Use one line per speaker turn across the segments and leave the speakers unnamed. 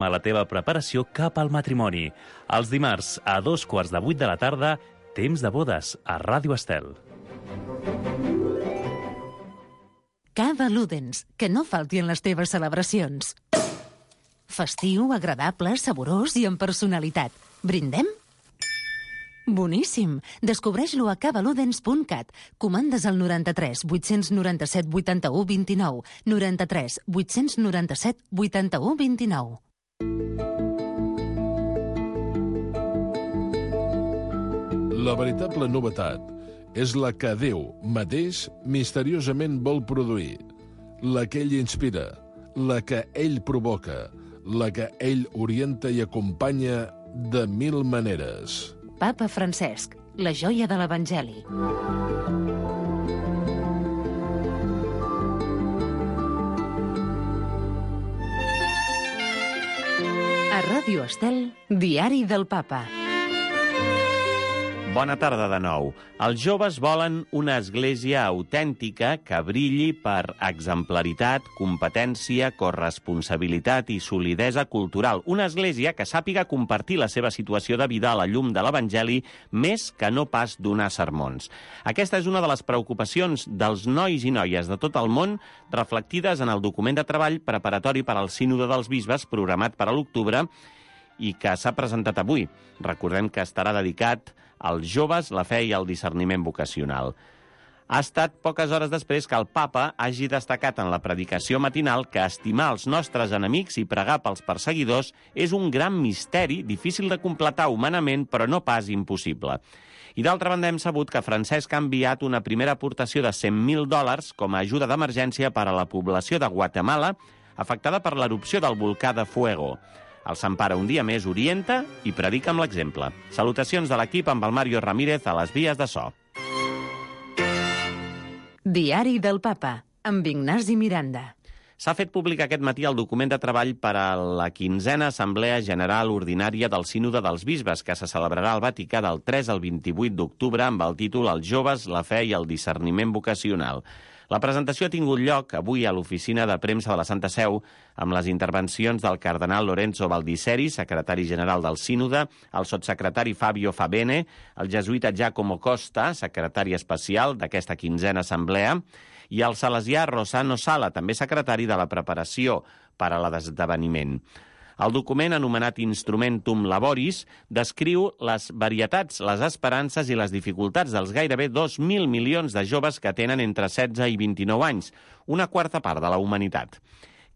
a la teva preparació cap al matrimoni. Els dimarts a 7:15 de la tarda, Temps de bodes, a Ràdio Estel.
Cava Ludens, que no falti en les teves celebracions. Festiu, agradable, saborós i amb personalitat. Brindem? Boníssim! Descobreix-lo a cavaludens.cat. Comandes al 93 897 81 29. 93 897 81 29.
La veritable novetat és la que Déu mateix misteriosament vol produir, la que ell inspira, la que ell provoca, la que ell orienta i acompanya de mil maneres.
Papa Francesc, la joia de l'Evangeli. A Ràdio Estel, Diari del Papa.
Bona tarda de nou. Els joves volen una església autèntica que brilli per exemplaritat, competència, corresponsabilitat i solidesa cultural. Una església que sàpiga compartir la seva situació de vida a la llum de l'Evangeli més que no pas donar sermons. Aquesta és una de les preocupacions dels nois i noies de tot el món reflectides en el document de treball preparatori per al Sínode dels Bisbes programat per a l'octubre i que s'ha presentat avui. Recordem que estarà dedicat als joves, la fe i el discerniment vocacional. Ha estat poques hores després que el papa hagi destacat en la predicació matinal que estimar els nostres enemics i pregar pels perseguidors és un gran misteri, difícil de completar humanament, però no pas impossible. I d'altra banda hem sabut que Francesc ha enviat una primera aportació de $100.000 com a ajuda d'emergència per a la població de Guatemala afectada per l'erupció del volcà de Fuego. El Sant Pare un dia més orienta i predica amb l'exemple. Salutacions de l'equip amb el Mario Ramírez a les vies de so.
Diari del Papa, amb Ignasi Miranda.
S'ha fet públic aquest matí el document de treball per a la 15a Assemblea General Ordinària del Sínode dels Bisbes, que se celebrarà al Vaticà del 3 al 28 d'octubre amb el títol Els joves, la fe i el discerniment vocacional. La presentació ha tingut lloc avui a l'oficina de premsa de la Santa Seu amb les intervencions del cardenal Lorenzo Baldisseri, secretari general del Sínode, el sotssecretari Fabio Fabene, el jesuïta Giacomo Costa, secretari especial d'aquesta 15a assemblea, i el salesià Rosano Sala, també secretari de la preparació per a l'esdeveniment. El document, anomenat Instrumentum Laboris, descriu les varietats, les esperances i les dificultats dels gairebé 2.000 milions de joves que tenen entre 16 i 29 anys, una quarta part de la humanitat.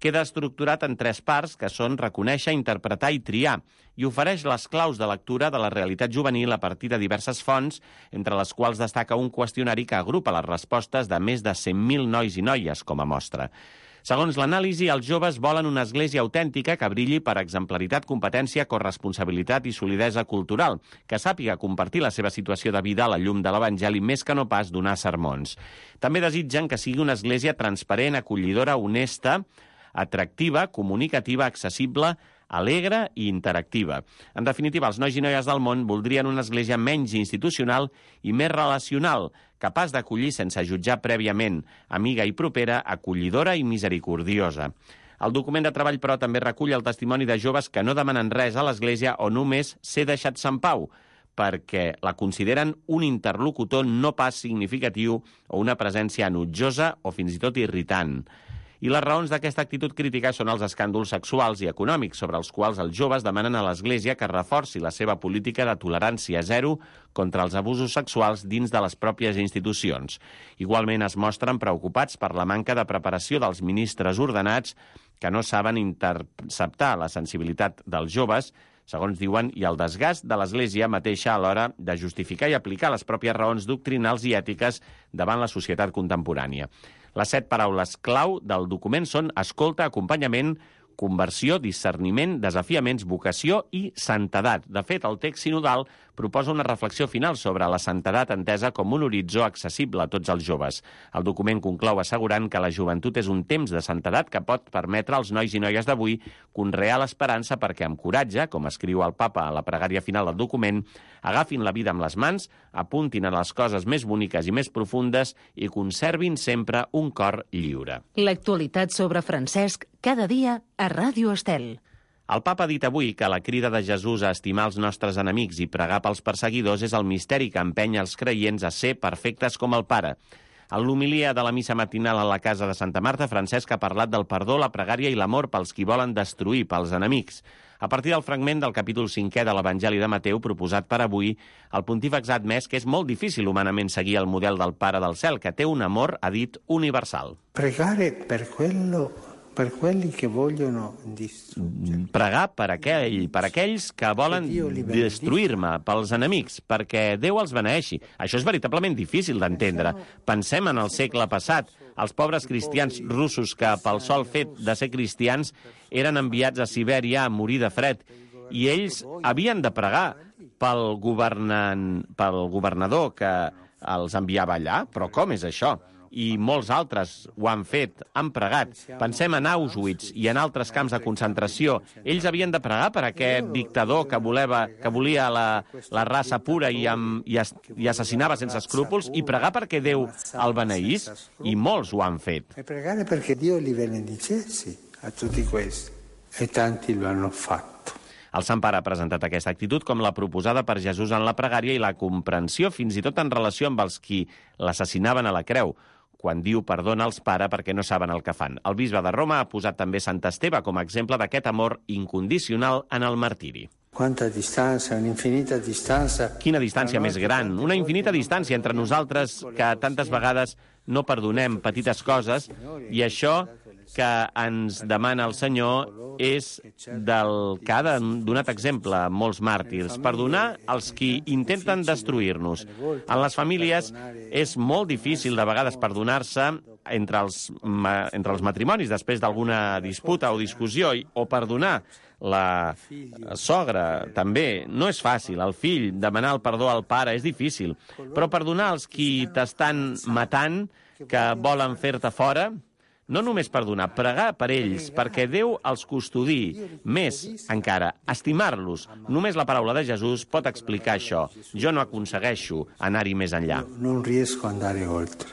Queda estructurat en 3 parts, que són reconèixer, interpretar i triar, i ofereix les claus de lectura de la realitat juvenil a partir de diverses fonts, entre les quals destaca un qüestionari que agrupa les respostes de més de 100.000 nois i noies com a mostra. Segons l'anàlisi, els joves volen una església autèntica que brilli per exemplaritat, competència, corresponsabilitat i solidesa cultural, que sàpiga compartir la seva situació de vida a la llum de l'Evangeli més que no pas donar sermons. També desitgen que sigui una església transparent, acollidora, honesta, atractiva, comunicativa, accessible, alegre i interactiva. En definitiva, els nois i noies del món voldrien una església menys institucional i més relacional, capaç d'acollir sense jutjar prèviament, amiga i propera, acollidora i misericordiosa. El document de treball, però, també recull el testimoni de joves que no demanen res a l'Església o només ser deixats en pau, perquè la consideren un interlocutor no pas significatiu o una presència enutjosa o fins i tot irritant. I les raons d'aquesta actitud crítica són els escàndols sexuals i econòmics, sobre els quals els joves demanen a l'Església que reforci la seva política de tolerància zero contra els abusos sexuals dins de les pròpies institucions. Igualment es mostren preocupats per la manca de preparació dels ministres ordenats que no saben interceptar la sensibilitat dels joves, segons diuen, i el desgast de l'Església mateixa a l'hora de justificar i aplicar les pròpies raons doctrinals i ètiques davant la societat contemporània. Les 7 paraules clau del document són escolta, acompanyament, conversió, discerniment, desafiaments, vocació i santedat. De fet, el text sinodal proposa una reflexió final sobre la santedat entesa com un horitzó accessible a tots els joves. El document conclou assegurant que la joventut és un temps de santedat que pot permetre als nois i noies d'avui conrear l'esperança perquè amb coratge, com escriu el papa a la pregària final del document, agafin la vida amb les mans, apuntin a les coses més boniques i més profundes i conservin sempre un cor lliure.
L'actualitat sobre Francesc cada dia a Ràdio Estel.
El papa ha dit avui que la crida de Jesús a estimar els nostres enemics i pregar pels perseguidors és el misteri que empenya els creients a ser perfectes com el Pare. En l'homilia de la missa matinal a la casa de Santa Marta, Francesc ha parlat del perdó, la pregària i l'amor pels qui volen destruir, pels enemics. A partir del fragment del capítol 5è de l'Evangeli de Mateu proposat per avui, el pontífex ha admès que és molt difícil humanament seguir el model del Pare del Cel, que té un amor, ha dit, universal.
Pregare per quelli che vogliono distruggere.
Pregar per aquells que volen destruir-me, pels enemics, perquè Déu els beneeixi. Això és veritablement difícil d'entendre. Pensem en el segle passat. Els pobres cristians russos que, pel sol fet de ser cristians, eren enviats a Sibèria a morir de fred. I ells havien de pregar pel governador que els enviava allà. Però com és això? I molts altres ho han fet, han pregat. Pensem en Auschwitz i en altres camps de concentració. Ells havien de pregar per aquest dictador que volia la raça pura i assassinava sense escrúpols, i pregar perquè Déu el beneís, i molts ho han fet.
E pregare perché Dio li benedicessi a tutti questi. E tanti lo hanno fatto.
El Sant Pare ha presentat aquesta actitud com la proposada per Jesús en la pregària i la comprensió fins i tot en relació amb els qui l'assassinaven a la creu, quan diu perdona als Pare perquè no saben el que fan. El bisbe de Roma ha posat també Sant Esteve com a exemple d'aquest amor incondicional en el martiri.
Quanta distància, un'infinita distància.
Quina distància més gran, una infinita distància entre nosaltres que tantes vegades no perdonem petites coses, i això que ens demana el Senyor és del que ha donat exemple a molts màrtirs, perdonar els qui intenten destruir-nos. En les famílies és molt difícil de vegades perdonar-se entre els matrimonis després d'alguna disputa o discussió, o perdonar la sogra també. No és fàcil. El fill demanar el perdó al pare és difícil. Però perdonar els qui t'estan matant, que volen fer-te fora, no només perdonar, pregar per ells, perquè Déu els custodi. Més encara, estimar-los. Només la paraula de Jesús pot explicar això. Jo no aconsegueixo anar-hi més enllà.
Non riesco a andare oltre.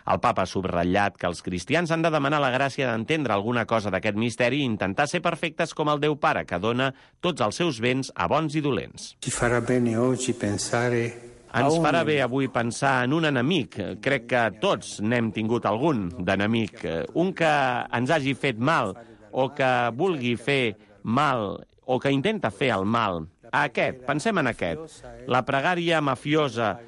El papa ha subratllat que els cristians han de demanar la gràcia d'entendre alguna cosa d'aquest misteri i intentar ser perfectes com el Déu Pare, que dona tots els seus béns a bons i dolents.
Ci farà bene oggi pensare.
Ens farà bé avui pensar en un enemic. Crec que tots n'hem tingut algun d'enemic. Un que ens hagi fet mal, o que vulgui fer mal, o que intenta fer el mal. Aquest, pensem en aquest. La pregària mafiosa,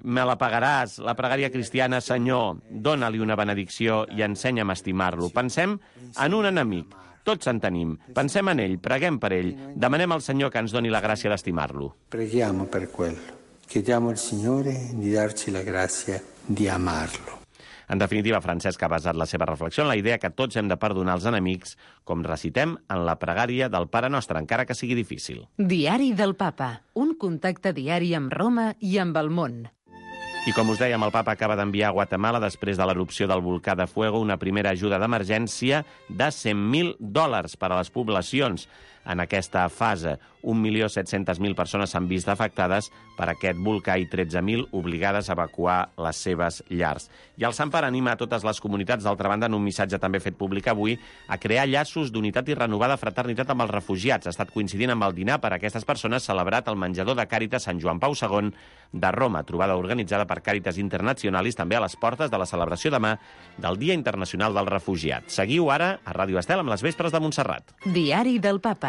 me la pagaràs, la pregària cristiana, Senyor, dóna-li una benedicció i ensenya'm a estimar-lo. Pensem en un enemic. Tots en tenim. Pensem en ell, preguem per ell, demanem al Senyor que ens doni la gràcia d'estimar-lo.
Preghiamo per quello. Chiediamo al Signore di darci la grazia di amarlo.
En definitiva, Francesc ha basat la seva reflexió en la idea que tots hem de perdonar els enemics, com recitem en la pregària del Pare Nostre, encara que sigui difícil.
Diari del Papa. Un contacte diari amb Roma i amb el món.
I com us dèiem, el papa acaba d'enviar a Guatemala, després de l'erupció del volcà de Fuego, una primera ajuda d'emergència de $100.000 per a les poblacions. En aquesta fase, 1.700.000 persones s'han vist afectades per aquest volcà i 13.000 obligades a evacuar les seves llars. I el Sant Pare anima a totes les comunitats, d'altra banda, en un missatge també fet públic avui, a crear llaços d'unitat i renovada fraternitat amb els refugiats. Ha estat coincidint amb el dinar per a aquestes persones celebrat al menjador de Càritas Sant Joan Pau II de Roma, trobada organitzada per Càritas Internacionalis, també a les portes de la celebració demà del Dia Internacional del Refugiat. Seguiu ara a Ràdio Estel amb les Vespres de Montserrat.
Diari del Papa.